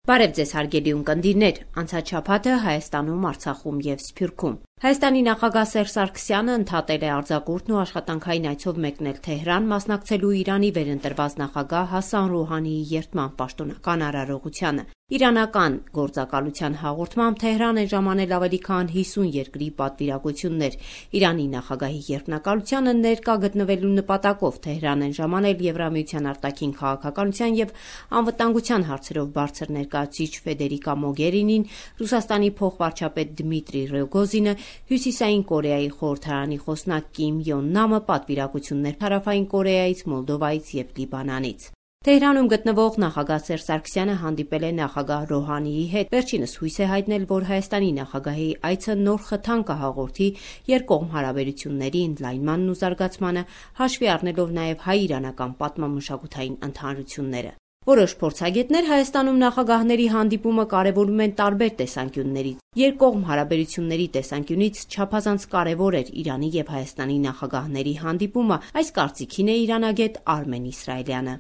Բարև ձեզ հարգելի ունկնդիրներ, անցած շաբաթը Հայաստանում, Արցախում եւ Սփյուռքում։ Հայաստանի նախագահ Սերժ Սարգսյանը ընդհատել է արձակուրդն ու աշխատանքային այցով մեկնել Թեհրան, մասնակցելու Իրանի վերընտրված նախագահ Հասան Ռոհանիի երդման պաշտոնական արարողությանը։ Իրանական գործակալության հաղորդմամբ Թեհրան է ժամանել ավելի քան 50 երկրի պատվիրակություններ։ Իրանի նախագահի երդմնակալությանը ներկա գտնվելու նպատակով Թեհրան են ժամանել Եվրամիության արտաքին քաղաքականության եւ անվտանգության հարցերով բարձր ներկայացուցիչ Ֆեդերիկա Մոգերինին, Ռուսաստանի փոխվարչապետ Դմիտրի Ռոգոզինը, Հյուսիսային Կորեայի խորհրդարանի խոսնակ Կիմ Յոն Նամը, պատվիրակություններ Հարավային Կորեայից, Մոլդովայից եւ Լիբանանից։ Թեհրանում գտնվող նախագահ Սերժ Սարգսյանը հանդիպել է նախագահ Ռոհանիի հետ։ Վերջինս հույս է հայտնել, որ Հայաստանի նախագահի այցը նոր խթան կհաղորդի երկկողմ հարաբերությունների ընդլայնմանն ու զարգացմանը, հաշվի առնելով նաև հայ-իրանական պատմամշակութային ընդհանրությունները։ Որոշ փորձագետներ Հայաստանում նախագահների հանդիպումը կարևորում են տարբեր տեսանկյուններից։ Երկկողմ հարաբերությունների տեսանկյունից չափազանց կարևոր էր Իրանի եւ Հայաստանի նախագահների հանդիպումը, այս կարծիքին է իրանագետ Արմեն Իսրայելյանը։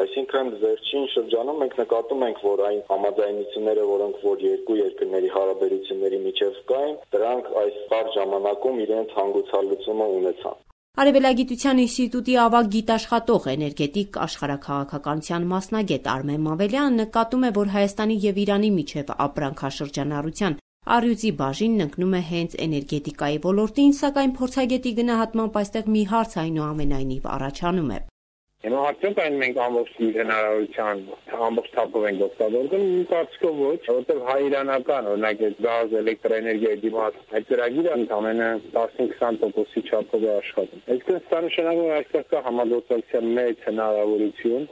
Այսինքն վերջին շրջանում մենք նկատում ենք, որ այն համաձայնությունները, որոնք որ երկու երկրների հարաբերությունների միջև կային, դրանք այս բար ժամանակում իրենց հանգուցալուծումը ունեցան։ Արևելագիտության ինստիտուտի ավագ գիտաշխատող էներգետիկ աշխարհաքաղաքականության մասնագետ Արմեն Մավելյանը նկատում է, որ Հայաստանի եւ Իրանի միջև ապրանքաշրջանառության առյուծի բաժինն ընկնում է հենց էներգետիկայի ոլորտին, սակայն փորձագետի գնահատմամբ այստեղ մի հարց այնուամենայնիվ առաջանում է։ Հիմա արդյոք այն մենք ամբողջ հնարավորության ամբողջ թափով ենք օգտագործում, իմ կարծիքով ոչ, որովհետև հայ-իրանական, օրինակ գազ, էլեկտրաէներգիայի դիմաց այդ ծրագիրը ընդամենը 15-20%-ի չափով է աշխատում։ Այսինքն սա նշանակում է այստեղ կա համագործակցության մեծ հնարավորություն։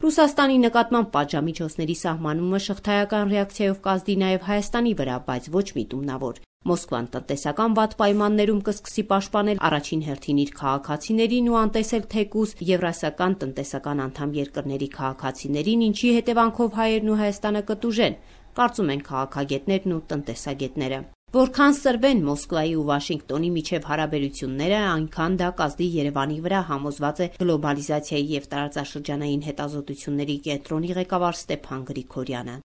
Ռուսաստանի նկատմամբ պատժամիջոցների սահմանումը շղթայական ռեակցիայով կազդի նաև Հայաստանի վրա, բայց ոչ միտումնավոր։ Մոսկվան տնտեսական վատ պայմաններում կսկսի պաշտպանել առաջին հերթին իր քաղաքացիներին ու անտեսել թեկուզ Եվրասիական տնտեսական անդամ երկրների քաղաքացիներին, ինչի հետևանքով հայերն ու Հայաստանը կտուժեն, կարծում են քաղաքագետներն ու տնտեսագետները։ Որքան սրվեն Մոսկվայի ու Վաշինգտոնի միջև հարաբերությունները, այնքան դա կազդի Երևանի վրա, համոզված է գլոբալիզացիայի եւ տարածաշրջանային հետազոտությունների կենտրոնի ղեկավար Ստեփան Գրիգորյանը։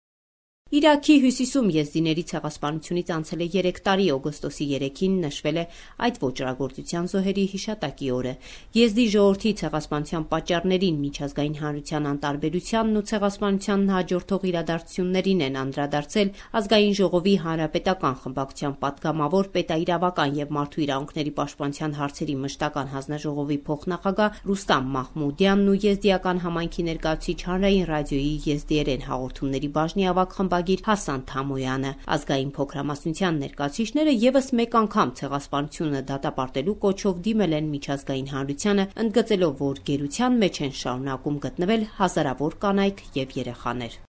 Իրաքի հյուսիսում եզդիների ցեղասպանությունից անցել է 3 տարի, օգոստոսի 3-ին նշվել է այդ ոճրագործության զոհերի հիշատակի օրը։ Եզդի ժողովրդի ցեղասպանության պատճառներին, միջազգային հանրության անտարբերությանն ու ցեղասպանությանն հաջորդող իրադարձություններին են անդրադարձել Ազգային ժողովի հանրապետական խմբակցության պատգամավոր, պետաիրավական եւ մարդու իրավունքների պաշտպանության հարցերի մշտական հանձնաժողովի փոխնախագահ Ռուստամ Մահմուդյանն ու եզդիական համայնքի ներկայացուցիչ հանրային ռադիոյի եզդիերեն հաղորդումների բաժնի ավագ խմբագիր Հասան Թամոյանը։ Ազգային փոքրամասնության ներկայացուցիչները եւս մեկ անգամ ցեղասպանությունը դատապարտելու կոչով դիմել են միջազգային հանրությանը, ընդգծելով, որ գերության մեջ են շարունակում գտնվել հազարավոր կանայք եւ երեխաներ։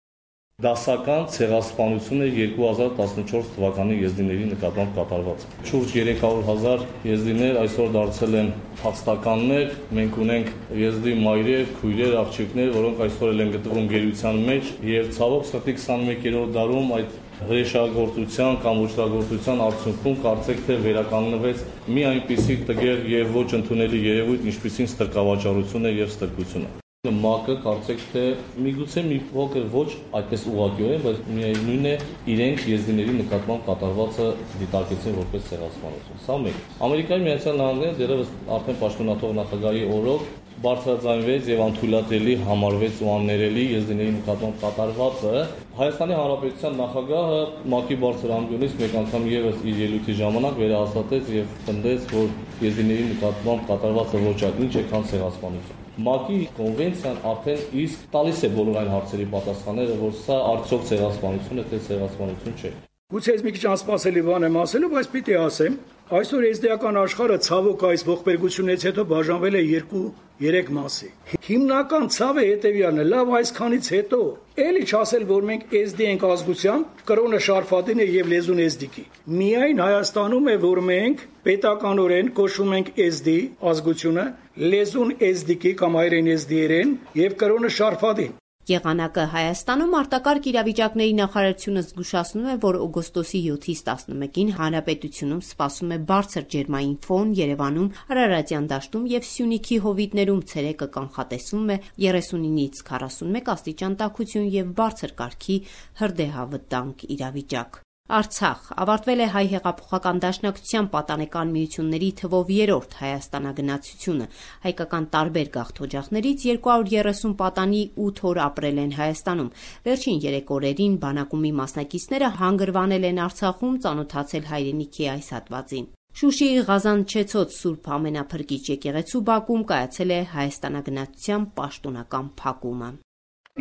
Դասական ցեղասպանությունը 2014 թվականի եզդիների նկատմամբ կատարված։ Շուրջ 300,000 եզդիներ այսօր դարձել են փախստականներ։ Մենք ունենք եզդի մայրեր, քույրեր, աղջիկներ, որոնք այսօր են գտնվում գերության մեջ եւ ցավոք սրտի 21-րդ դարում այդ հրեշագործության կամ ոչրագործության արդյունքում կարծեք թե վերականգնվեց մի այնպիսի տգեղ եւ ոչ ընդունելի երևույթ, ինչպիսին ստրկավաճառությունը եւ ստրկությունը։ ՄԱԿ-ը կարծեք թե միգուցե մի փոքր ոչ այդպես ուղղակիորեն, բայց միևնույն է իրենք եզդիների նկատմամբ կատարվածը դիտարկեցին որպես ցեղասպանություն։ Սա մեկ։ Ամերիկայի Միացյալ Նահանգները դեռևս արդեն պաշտոնաթող նախագահի օրոք բարձրաձայնվեց եւ անթույլատրելի համարվեց ու աններելի եզդիների նկատմամբ կատարվածը։ Հայաստանի Հանրապետության նախագահը ՄԱԿ-ի բարձր անկյունից մեկ անգամ եւս իր ելույթի ժամանակ վերահաստատեց եւ պնդեց, որ եզդիների նկատմամբ կատարվածը ոչ այլ ինչ է, քան ցեղասպանություն։ ՄԱԿ-ի կոնվենցիան արդեն իսկ տալիս է բոլոր այն հարցերի պատասխանները, որ սա արդյոք ցեղասպանություն է, թե ցեղասպանություն չէ։ Գուցե ես մի քիչ անսպասելի բան եմ ասելու, բայց պիտի ասեմ, այսօր եզդիական աշխարհը ցավոք այս ողբերգությունից հետո բաժանվել է 2-3 մասի։ Հիմնական ցավը հետևյալն է, լավ այսքանից հետո էլի չասել, որ մենք եզդի ենք ազգությամբ, կրոնը շարֆատին է եւ լեզուն եզդիկի։ Միայն Հայաստանում է, որ մենք պետականորեն կոչվում ենք եզդի ազգությունը, լեզուն եզդիկի կամ հայրեն եզդիերեն եւ կրոնը շարֆատին։ Եղանակը Հայաստանում արտակարգ իրավիճակների նախարարությունը զգուշացնում է, որ օգոստոսի 7-ից 11-ին հանրապետությունում սպասվում է բարձր ջերմային ֆոն, Երևանում, Արարատյան դաշտում և Սյունիքի հովիտներում ցերեկը կանխատեսվում է 39-ից 41 աստիճան տաքություն և բարձր կարգի հրդեհավտանգ իրավիճակ։ Արցախ ավարտվել է Հայ հեղափոխական դաշնակցության պատանեկան միությունների թվով 3-րդ Հայաստանագնացությունը։ Հայկական տարբեր գաղթօջախներից 230 պատանի 8 օր ապրել են Հայաստանում։ Վերջին 3 օրերին բանակումի մասնակիցները հանգրվանել են Արցախում, ծանոթացել հայրենիքի այս հատվածին։ Շուշիի Ղազանչեցոտ Սուրբ Ամենափրկիչ եկեղեցու բակում կայացել է Հայաստանագնացության պաշտոնական փակումը։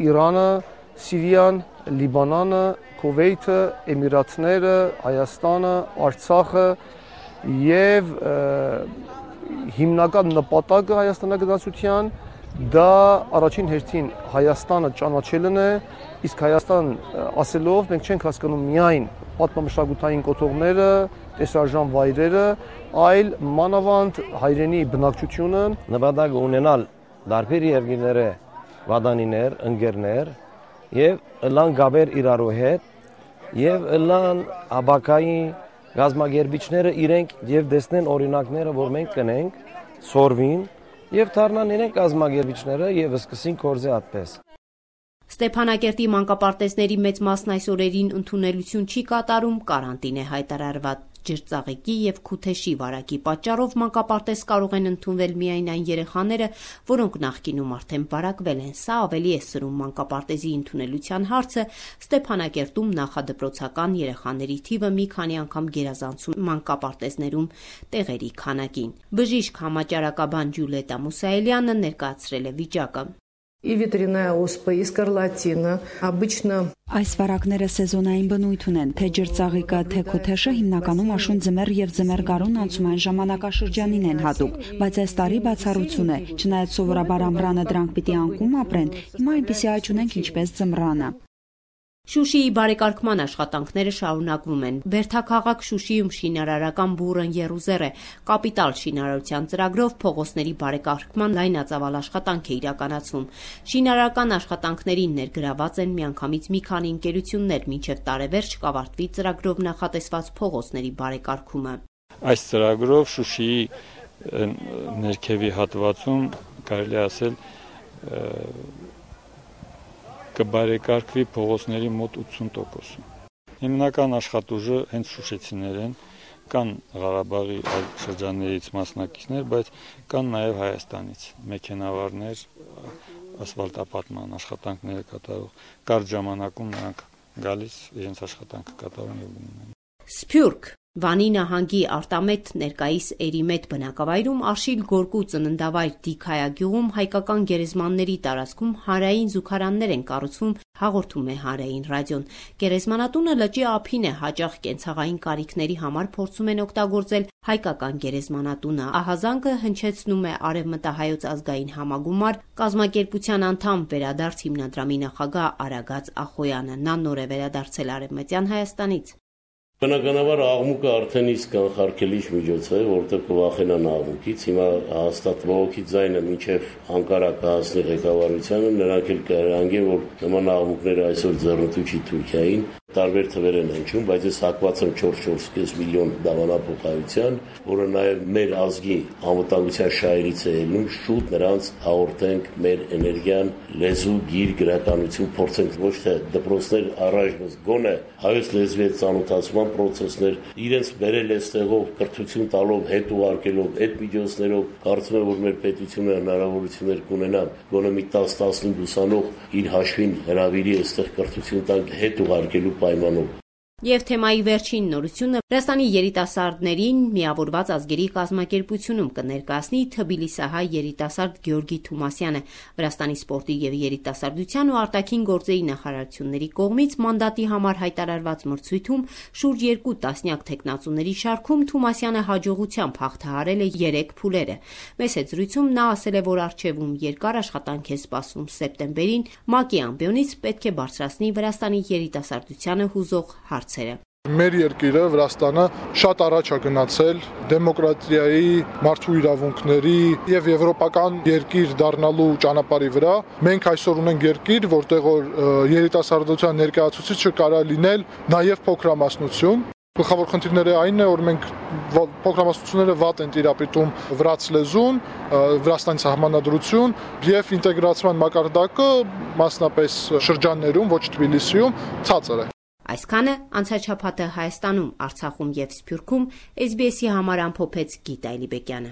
Իրանը, Սիրիան, Լիբանանը, Քուվեյթը, Էմիրաթները, Հայաստանը, Արցախը եւ հիմնական նպատակը Հայաստանագնացության դա առաջին հերթին Հայաստանը ճանաչելն է, իսկ Հայաստան ասելով մենք չենք հասկանում միայն պատմամշակութային կոթողները, տեսարժան վայրերը, այլ մանավանդ հայրենի բնակչությունը, նպատակ ունենալ դարբեր երկրները, վադանիներ, ընկերներ եւ ըլլան գաբեր իրարու հետ եւ ըլլան աբակայի գազագերբիչները իրենք եւ դեսնեն օրինակները, որ մենք կնենք, սորվին եւ դառնան իրենք գազագերբիչները եւ սկսին կորզե այդպես։ Ստեփանակերտի մանկապարտեզների մեծ մասն այս օրերին ընդունելություն չի կատարում, կարանտին է հայտարարված։ Ջրծաղիկի եւ Քութեշի վարակի պատճառով մանկապարտեզ կարող են ընդունվել միայն այն երեխաները, որոնք նախկինում արդեն վարակվել են։ Սա ավելի է սրում մանկապարտեզի ընդունելության հարցը։ Ստեփանակերտում նախադպրոցական երեխաների թիվը մի քանի անգամ գերազանցում մանկապարտեզներում տեղերի քանակին։ Բժիշկ համաճարակաբան Ջուլիետա Մուսայելյանը ներկայացրել է վիճակը։ И ветряная оспа, и скарлатина. Обычно այս վարակները սեզոնային բնույթ ունեն, թե ջրծաղիկը, թե քութեշը հիմնականում աշուն ձմեռ եւ ձմեռ գարուն անցումային ժամանակաշրջանին են հատուկ, բայց այս տարի բացառություն է, չնայած սովորաբար ամռանը դրանք պիտի անկում ապրեն, հիմա այնպիսի աճ ունենք ինչպես ձմռանը։ Շուշիի բարեկարգման աշխատանքները շարունակվում են։ Բերդաքաղաք Շուշիում շինարարական բուռն եռուզեռ է։ Կապիտալ շինարարության ծրագրով փողոցների բարեկարգման լայնածավալ աշխատանք է իրականացվում։ Շինարարական աշխատանքներին ներգրաված են միանգամից մի քանի ընկերություններ, մինչև տարեվերջ կավարտվի ծրագրով նախատեսված փողոցների բարեկարգումը։ Այս ծրագրով Շուշիի ներքևի հատվածում կարելի է ասել կբարեկարգվի փողոցների մոտ 80%։ Հիմնական աշխատուժը հենց շուշեցիներ են, կան Ղարաբաղի այլ շրջաններից մասնակիցներ, բայց կան նաև Հայաստանից մեքենավարներ, ասֆալտապատման աշխատանքները կատարող, կարճ ժամանակում նրանք գալիս իրենց աշխատանքը կատարում եւ գնում են։ Սփյուռք Վանի նահանգի Արտամետ ներկայիս Էրիմետ բնակավայրում Աշիլ Գորկու ծննդավայր Դիքայագյուղում հայկական գերեզմանների տարածքում հանրային զուգարաններ են կառուցվում, հաղորդում է Հանրային ռադիոն։ Գերեզմանատունը լճի ափին է, հաճախ կենցաղային կարիքների համար փորձում են օգտագործել հայկական գերեզմանատունը։ Ահազանգը հնչեցնում է Արևմտահայոց ազգային համագումար կազմակերպության անդամ Վերադարձ հիմնադրամի նախագահ Արագած Ախոյանը։ Նա նոր է վերադարձել Արևմտյան Հայաստանից։ Բնականաբար աղմուկը արդեն իսկ կանխարգելիչ միջոց է, որտեղ կվախենան աղմուկից, հիմա հաստատ ողոքի ձայնը մինչև Անկարա կհասնի ղեկավարությանը, նրանք էլ կհրանգեն, որ նման աղմուկները այսօր ձեռնտու չի Թուրքիային, տարբեր թվեր են հնչում, բայց ես հակված եմ 4-4.5 միլիոն դավանափոխայության, որը նաև մեր ազգի անվտանգության շահերից է ելնում, շուտ նրանց հաղորդենք մեր էներգիան, լեզու, գիր, գրականություն, փորձենք ոչ թե դպրոցներ առայժմ գոնե հայոց լեզվի հետ ծանոթացման պրոցեսներ, իրենց բերել այստեղով կրթություն տալով, հետ ուղարկելով, այդ միջոցներով, կարծում եմ, որ մեր պետությունը հնարավորություններ կունենա, գոնե մի 10-15 ուսանող իր հաշվին հրավիրի այստեղ կրթություն տանք հետ ուղարկելու պայմանով։ Եվ թեմայի վերջին նորությունը Վրաստանի երիտասարդներին միավորված ազգերի կազմակերպությունում կներկայացնի թբիլիսահայ երիտասարդ Գյորգի Թումասյանը։ Վրաստանի սպորտի եւ երիտասարդության ու արտաքին գործերի նախարարությունների կողմից մանդատի համար հայտարարված մրցույթում շուրջ 2 տասնյակ թեկնածուների շարքում Թումասյանը հաջողությամբ հաղթահարել է 3 փուլերը։ Մեծ զրույցում նա ասել է, որ առջևում երկար աշխատանք է սպասվում սեպտեմբերին ՄԱԿ-ի ամբիոնից պետք է բարձրացնի Վրաստանի երիտասարդությանը հուզող հարցերը։ Մեր երկիրը Վրաստանը շատ առաջ է գնացել դեմոկրատիայի, մարդու իրավունքների եւ եվրոպական երկիր դառնալու ճանապարհի վրա։ Մենք այսօր ունենք երկիր, որտեղ երիտասարդության ներկայացուցիչը կարող է լինել նաեւ փոքրամասնություն։ Գլխավոր խնդիրները այն է, որ մենք փոքրամասնությունները վատ են տիրապետում վրաց լեզուն, Վրաստանի սահմանադրություն եւ ինտեգրացիան մակարդակը մասնապես շրջաններում, ոչ Թբիլիսիում, ցածր է։ Այսքանը անցաչափաթը Հայաստանում, Արցախում եւ Սփյուռքում SBS-ի համար ամփոփեց Գիտա Էլիբեկյանը։